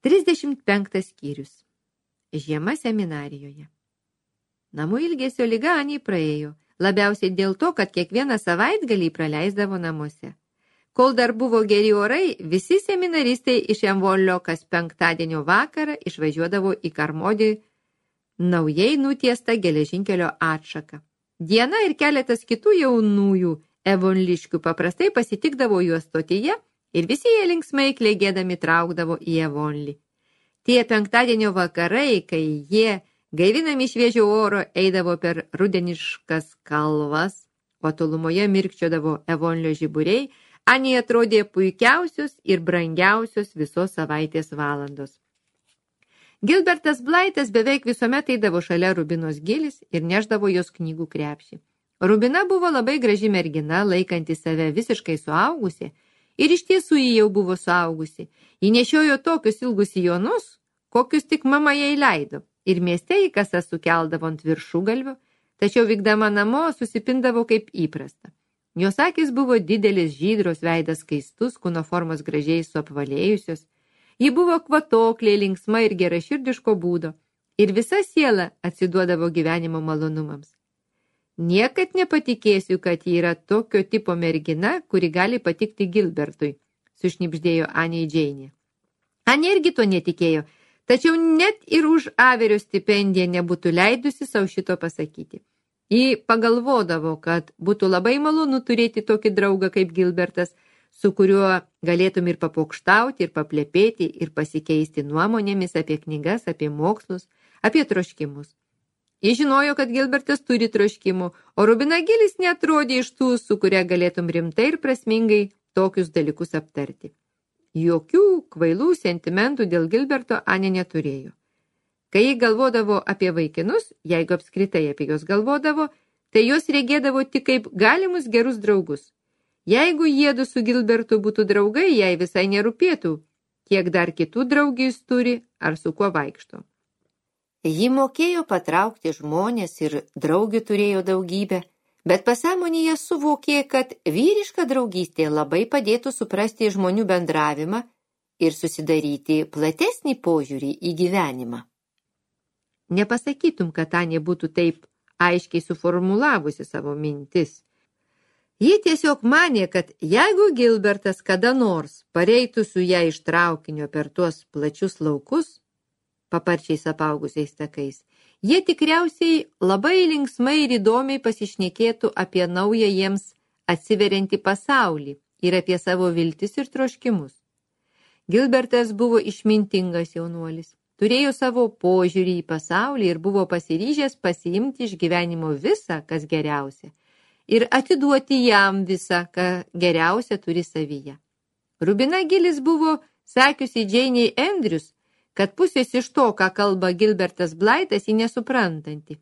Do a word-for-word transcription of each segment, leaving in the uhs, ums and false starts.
trisdešimt penktas skyrius. Žiema seminarijoje. Namų ilgesio liga Anei praėjo, labiausiai dėl to, kad kiekvieną savaitgalį praleisdavo namuose. Kol dar buvo geri orai, visi seminaristai iš Emvolio kas penktadienio vakarą išvažiuodavo į Karmodį naujai nutiestą geležinkelio atšaką. Diena ir keletas kitų jaunųjų evonliškių paprastai pasitikdavo juos stotyje ir visi jie linksmai klėgėdami traukdavo į Evonlį. Tie penktadienio vakarai, kai jie, gaivinami šviežio oro, eidavo per rudeniškas kalvas, o tolumoje mirkčiodavo Evonlio žiburiai, Anei atrodė puikiausios ir brangiausios visos savaitės valandos. Gilbertas Blaitas beveik visuomet eidavo šalia Rubinos Gilis ir neždavo jos knygų krepšį. Rubina buvo labai graži mergina, laikanti save visiškai suaugusi, ir iš tiesų ji jau buvo suaugusi. Ji nešiojo tokius ilgus sijonus, kokius tik mama jai leido, ir mieste į kasą sukeldavo ant viršugalvių, tačiau vykdama namo susipindavo kaip įprasta. Jos akis buvo didelis, žydros, veidas skaistus, kūno formos gražiai suapvalėjusios. Ji buvo kvatoklė, linksma ir geraširdiško būdo, ir visa siela atsiduodavo gyvenimo malonumams. Niekad nepatikėsiu, kad ji yra tokio tipo mergina, kuri gali patikti Gilbertui, sušnibždėjo Anei Džeinė. Anė irgi to netikėjo, tačiau net ir už Averio stipendiją nebūtų leidusi savo šito pasakyti. Ji pagalvodavo, kad būtų labai malonu turėti tokį draugą kaip Gilbertas, su kuriuo galėtum ir papokštauti, ir paplepėti, ir pasikeisti nuomonėmis apie knygas, apie mokslus, apie troškimus. Ji žinojo, kad Gilbertas turi troškimų, o Rubina Gilis neatrodė iš tų, su kuria galėtum rimtai ir prasmingai tokius dalykus aptarti. Jokių kvailų sentimentų dėl Gilberto Anė neturėjo. Kai ji galvodavo apie vaikinus, jeigu apskritai apie juos galvodavo, tai jos regėdavo tik kaip galimus gerus draugus. Jeigu jiedu su Gilbertu būtų draugai, jai visai nerūpėtų, kiek dar kitų draugų jis turi ar su kuo vaikšto. Ji mokėjo patraukti žmonės ir draugių turėjo daugybę, bet pasąmonėje suvokė, kad vyriška draugystė labai padėtų suprasti žmonių bendravimą ir susidaryti platesnį požiūrį į gyvenimą. Nepasakytum, kad Anė būtų taip aiškiai suformulavusi savo mintis. Ji tiesiog manė, kad jeigu Gilbertas kada nors pareitų su ją iš traukinio per tuos plačius laukus, paparčiais apaugusiais takais, jie tikriausiai labai linksmai ir įdomiai pasišnekėtų apie naują jiems atsiveriantį pasaulį ir apie savo viltis ir troškimus. Gilbertas buvo išmintingas jaunuolis, turėjo savo požiūrį į pasaulį ir buvo pasiryžęs pasiimti iš gyvenimo visą, kas geriausia, ir atiduoti jam visą, ką geriausia turi savyje. Rubina Gilis buvo sakiusi Džeinei Andrews, kad pusės iš to, ką kalba Gilbertas Blaitas, jį nesuprantanti.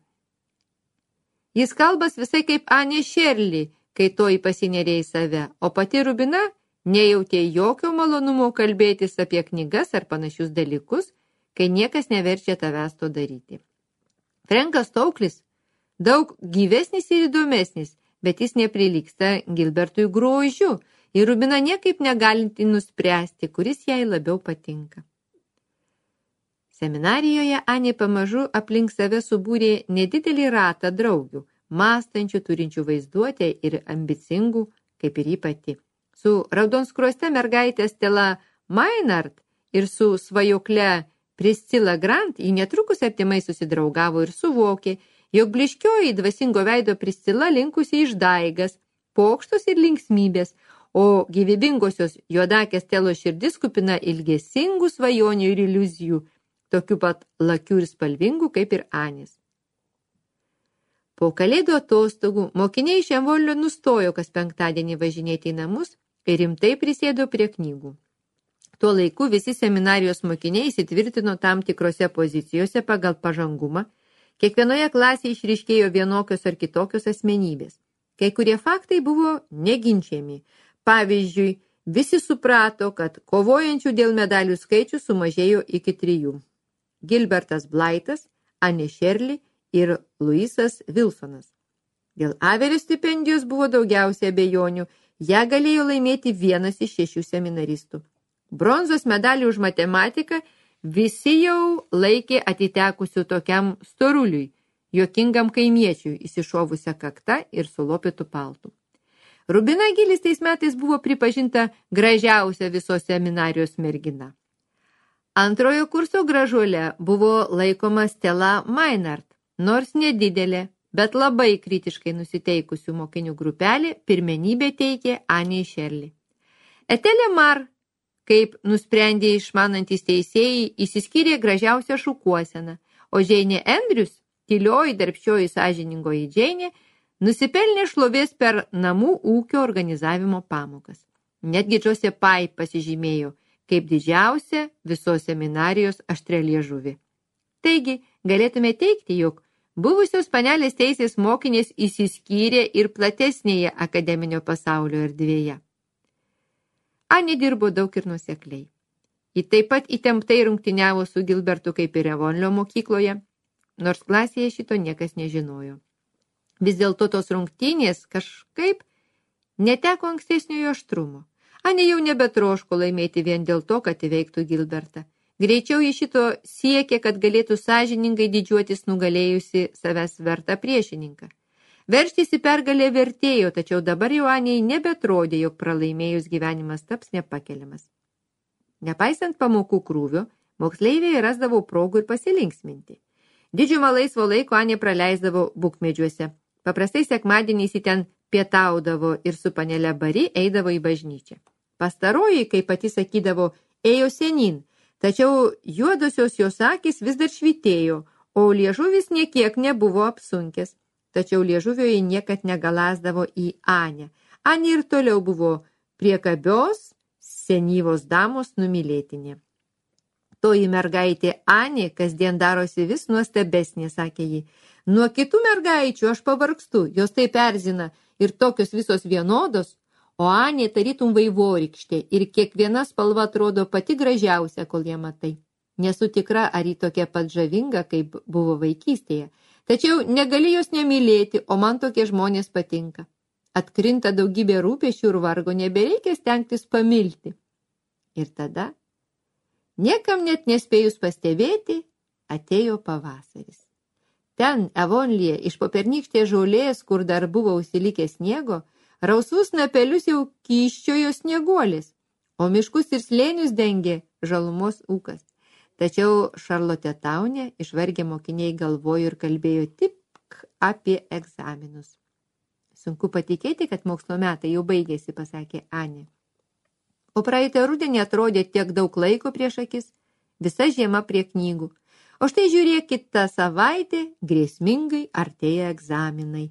Jis kalbas visai kaip Anė Šerli, kai toji pasinerė į save, o pati Rubina nejautė jokio malonumo kalbėtis apie knygas ar panašius dalykus, kai niekas neverčia tavęs to daryti. Frankas Tauklis daug gyvesnis ir įdomesnis, bet jis neprilygsta Gilbertui grožiu, ir Rubina niekaip negalinti nuspręsti, kuris jai labiau patinka. Seminarijoje Anė pamažu aplink save subūrė nedidelį ratą draugių, mąstančių, turinčių vaizduotę ir ambicingų, kaip ir ji pati. Su raudonskruoste mergaitė Stella Maynard ir su svajokle Priscilla Grant ji netrukus artimai susidraugavo ir suvokė, jog bliškioji dvasingo veido Priscilla linkusi išdaigas, pokštus ir linksmybės, o gyvybingosios juodakės Stelos širdis kupina ilgesingų svajonių ir iliuzijų, tokių pat lakių ir spalvingų kaip ir Anės. Po kalėdų atostogų mokiniai iš Emvolio nustojo kas penktadienį važinėti į namus ir rimtai prisėdo prie knygų. Tuo laiku visi seminarijos mokiniai įsitvirtino tam tikrose pozicijose pagal pažangumą, kiekvienoje klasėje išryškėjo vienokios ar kitokios asmenybės. Kai kurie faktai buvo neginčiami. Pavyzdžiui, visi suprato, kad kovojančių dėl medalių skaičių sumažėjo iki trijų. Gilbertas Blaitas, Anė Šerli ir Luisas Wilsonas. Dėl Averio stipendijos buvo daugiausiai abejonių, ją galėjo laimėti vienas iš šešių seminaristų. Bronzos medalį už matematiką visi jau laikė atitekusių tokiam storuliui, juokingam kaimiečiui, įsišovusią kaktą ir sulopytų paltų. Rubina Gilis tais metais buvo pripažinta gražiausia visos seminarijos mergina. Antrojo kurso gražuolė buvo laikoma Stella Maynard, nors nedidelė, bet labai kritiškai nusiteikusių mokinių grupelė pirmenybę teikė Anei Šerli. Etelė Mar, kaip nusprendė išmanantys teisėjai, įsiskyrė gražiausią šukuoseną, o Džeinė Andrews, tylioji, darbščioji, sąžiningoji Džeinė, nusipelnė šlovės per namų ūkio organizavimo pamokas. Netgi Džosė Pai pasižymėjo kaip didžiausia visos seminarijos aštrialiežuvė. Taigi, galėtume teigti, jog buvusios panelės teisės mokinės įsiskyrė ir platesnėje akademinio pasaulio erdvėje. Anė dirbo daug ir nuosekliai. Ji taip pat įtemptai rungtyniavo su Gilbertu kaip ir Avonlio mokykloje, nors klasėje šito niekas nežinojo. Vis dėlto tos rungtynės kažkaip neteko ankstesniojo aštrumo. Anė jau nebetroško laimėti vien dėl to, kad įveiktų Gilbertą. Greičiau ji šito siekė, kad galėtų sąžiningai didžiuotis nugalėjusi savęs vertą priešininką. Veržtis į pergalę vertėjo, tačiau dabar jau Anei nebetrodė, jog pralaimėjus gyvenimas taps nepakeliamas. Nepaisant pamokų krūvio, moksleiviai rasdavo progų ir pasilinksminti. Didžiumą laisvo laiko Anė praleisdavo bukmedžiuose. Paprastai sekmadieniais į ten pietaudavo ir su panele Bari eidavo į bažnyčią. Pastaroji, kaip pati sakydavo, ėjo senin, tačiau juodosios jos akis vis dar švitėjo, o liežuvis niekiek nebuvo apsunkęs. Tačiau liežuvio ji niekad negalasdavo į Anę. Anė ir toliau buvo priekabios, senyvos damos numylėtinė. Toji mergaitė Anė kasdien darosi vis nuostabesnė, sakė ji. Nuo kitų mergaičių aš pavargstu, jos taip erzina ir tokios visos vienodos, o Anė tarytum vaivorykštė ir kiekviena spalva atrodo pati gražiausia, kol ją matai. Nesu tikra, ar ji tokia pat žavinga, kaip buvo vaikystėje, tačiau negali jos nemylėti, o man tokie žmonės patinka. Atkrinta daugybė rūpesčių ir vargo, nebereikia stengtis pamilti. Ir tada, niekam net nespėjus pastebėti, atėjo pavasaris. Ten, Avonlyje, iš popernykštės žolės, kur dar buvo užsilikę sniego, rausvus napelius jau kyščiojo snieguolis, o miškus ir slėnius dengė žalumos ūkas. Tačiau Šarlotė Taunė išvargę mokiniai galvojo ir kalbėjo tik apie egzaminus. Sunku patikėti, kad mokslo metai jau baigėsi, pasakė Anė. O praeitą rudenį atrodė tiek daug laiko prieš akis, visa žiema prie knygų. O štai žiūrėk, kitą savaitę grėsmingai artėja egzaminai.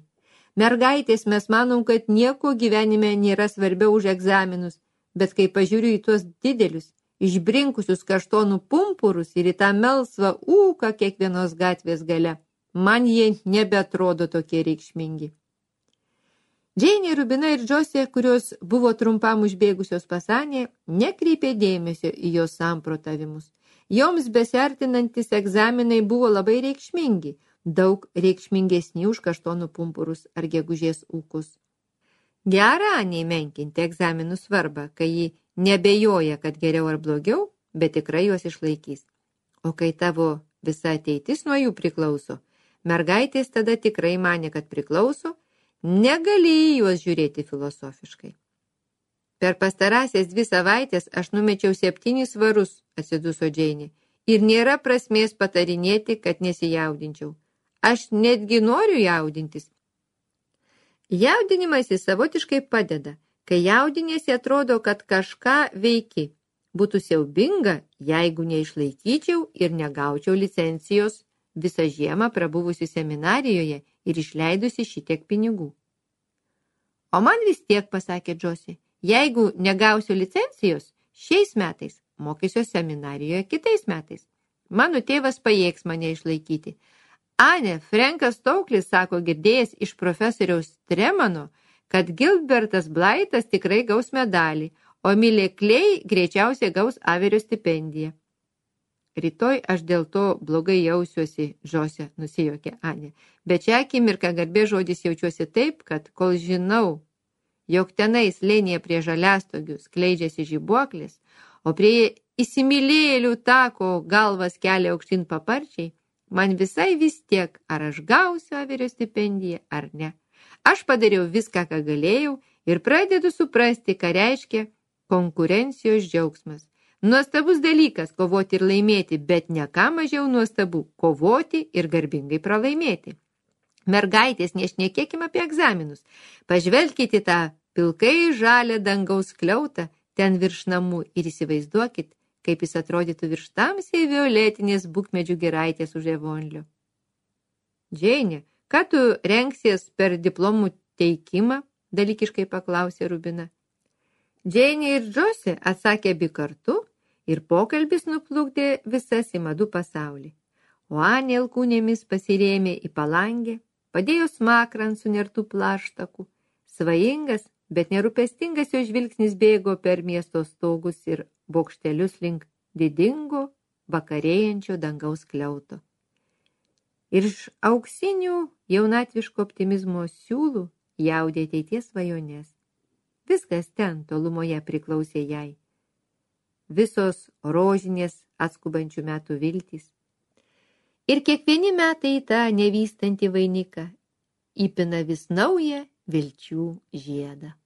Mergaitės, mes manom, kad nieko gyvenime nėra svarbiau už egzaminus, bet kai pažiūriu į tuos didelius, išbrinkusius kaštonų pumpurus ir į tą melsvą ūką kiekvienos gatvės gale, man jie nebeatrodo tokie reikšmingi. Džeinė, Rubina ir Džosė, kurios buvo trumpam užbėgusios pas Anę, nekreipė dėmesio į jos samprotavimus. Joms besiartinantis egzaminai buvo labai reikšmingi, daug reikšmingesni už kaštonų pumpurus ar gegužės ūkus. Gera Anei menkinti egzaminų svarbą, kai ji nebejoja, kad geriau ar blogiau, bet tikrai juos išlaikys. O kai tavo visa ateitis nuo jų priklauso, mergaitės tada tikrai manė, kad priklauso, negali į juos žiūrėti filosofiškai. Per pastarąsias dvi savaitės aš numečiau septynis svarus, atsiduso Džeinė, ir nėra prasmės patarinėti, kad nesijaudinčiau. Aš netgi noriu jaudintis. Jaudinimas jis savotiškai padeda. Kai jaudinėsi, atrodo, kad kažką veiki. Būtų siaubinga, jeigu neišlaikyčiau ir negaučiau licencijos visą žiemą prabuvusi seminarijoje ir išleidusi šitiek pinigų. O man vis tiek, pasakė Džosė, jeigu negausiu licencijos, šiais metais mokysiu seminarijoje kitais metais. Mano tėvas pajėgs mane išlaikyti. Anė, Frenkas Stauklis sako girdėjęs iš profesoriaus Tremano, kad Gilbertas Blaitas tikrai gaus medalį, o Milė Klei greičiausiai gaus Averio stipendiją. Rytoj aš dėl to blogai jausiuosi, Džosė, nusijuokė Anė, bet šią akimirką garbės žodis jaučiuosi taip, kad kol žinau, jog tenai slėnyje prie žaliastogių skleidžiasi žibuoklis, o prie įsimylėlių tako galvas kelia aukštyn paparčiai, man visai vis tiek, ar aš gausiu Averio stipendiją, ar ne. Aš padariau viską, ką galėjau ir pradedu suprasti, ką reiškia konkurencijos džiaugsmas. Nuostabus dalykas kovoti ir laimėti, bet ne ką mažiau nuostabu kovoti ir garbingai pralaimėti. Mergaitės, nešnekėkim apie egzaminus. Pažvelkite tą pilkai žalią dangaus skliautą ten virš namų ir įsivaizduokit, kaip jis atrodytų virš tamsiai violetinės bukmedžių giraitės už Evonlio. Džeinė, ką tu rengsies per diplomų teikimą? Dalykiškai paklausė Rubina. Džeinė ir Džosė atsakė abi kartu ir pokalbis nuplukdė visas į madų pasaulį. O Anė alkūnėmis pasirėmė į palangę, padėjo smakrą ant sunertų plaštakų. Svajingas, bet nerūpestingas jo žvilgsnis bėgo per miesto stogus ir bokštelius link didingo, vakarėjančio dangaus skliauto. Ir iš auksinių jaunatviško optimizmo siūlų jaudė ateities svajonės. Viskas ten tolumoje priklausė jai. Visos rožinės atskubančių metų viltys. Ir kiekvieni metai į tą nevystantį vainiką įpina vis naują vilčių žiedą.